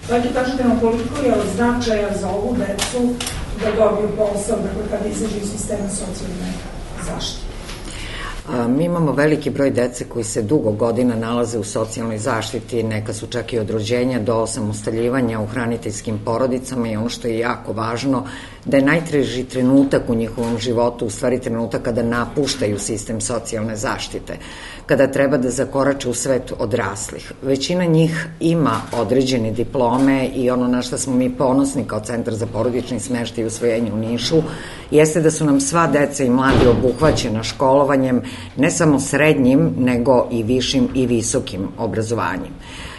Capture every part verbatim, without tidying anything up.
Dakle, kažete nam koliko je od značaja za ovu decu da dobiju posao, dakle, kada izađe iz sistema socijalne zaštite? Mi imamo veliki broj dece koji se dugo godina nalaze u socijalnoj zaštiti, neka su čak i od rođenja do osamostaljivanja u hraniteljskim porodicama i ono što je jako važno, da je najteži trenutak u njihovom životu u stvari trenutak kada napuštaju sistem socijalne zaštite, kada treba da zakorače u svet odraslih. Većina njih ima određene diplome i ono na što smo mi ponosni kao Centar za porodični smeštaj i usvojenje u Nišu jeste da su nam sva deca i mladi obuhvaćena školovanjem ne samo srednjim, nego i višim i visokim obrazovanjem.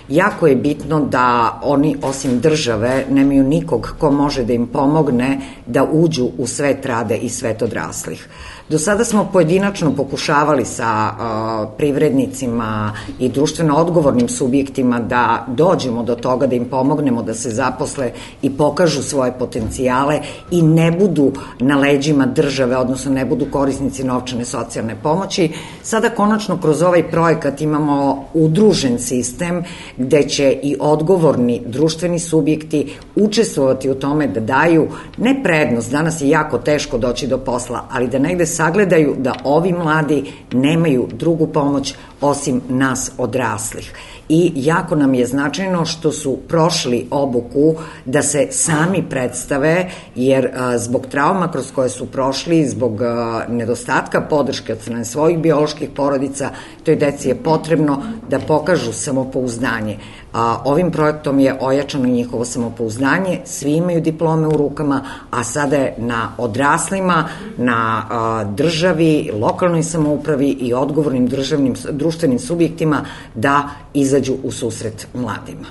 Jako je bitno da oni, osim države, nemaju nikog ko može da im pomogne da uđu u svet rada i svet odraslih. Do sada smo pojedinačno pokušavali sa uh, privrednicima i društveno odgovornim subjektima da dođemo do toga, da im pomognemo da se zaposle i pokažu svoje potencijale i ne budu na leđima države, odnosno ne budu korisnici novčane socijalne pomoći. Sada konačno kroz ovaj projekat imamo udružen sistem gde će i odgovorni društveni subjekti učestvovati u tome da daju ne prednost, danas je jako teško doći do posla, ali da negde sagledaju da ovi mladi nemaju drugu pomoć osim nas odraslih. I jako nam je značajno što su prošli obuku da se sami predstave, jer a, zbog trauma kroz koje su prošli, zbog a, nedostatka podrške od strane svojih bioloških porodica, toj deci je potrebno da pokažu samopouzdanje. A, ovim projektom je ojačano njihovo samopouzdanje, svi imaju diplome u rukama, a sada je na odraslima, na a, državi, lokalnoj samoupravi i odgovornim državnim, društvenim subjektima da izađu u susret mladima.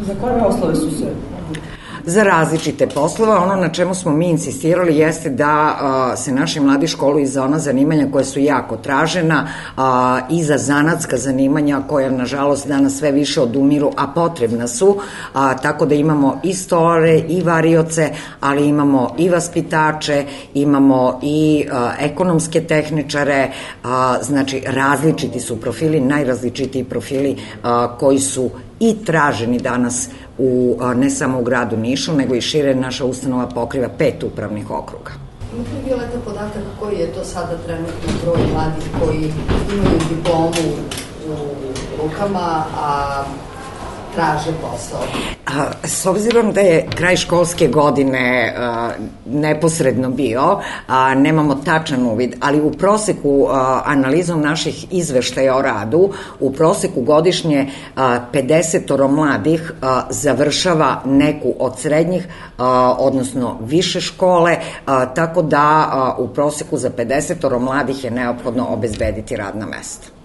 Za koje poslove su se? Za različite poslove. Ono na čemu smo mi insistirali jeste da a, se naši mladi školuju za ona zanimanja koja su jako tražena a, i za zanatska zanimanja koja nažalost danas sve više odumiru, a potrebna su, a, tako da imamo i stolare i varioce, ali imamo i vaspitače, imamo i a, ekonomske tehničare, a, znači različiti su profili, najrazličitiji profili a, koji su i traženi danas u, ne samo u gradu Nišu, nego i šire. Naša ustanova pokriva pet upravnih okruga. Imate li Violeta podatak koji je to sada trenutno broj mladih koji imaju diplomu u rukama, a traže posao? A, s obzirom da je kraj školske godine a, neposredno bio, a, nemamo tačan uvid, ali u proseku a, analizom naših izveštaja o radu, u proseku godišnje a, pedesetoro mladih a, završava neku od srednjih, a, odnosno više škole, a, tako da a, u proseku za pedesetoro mladih je neophodno obezbediti radna mesta.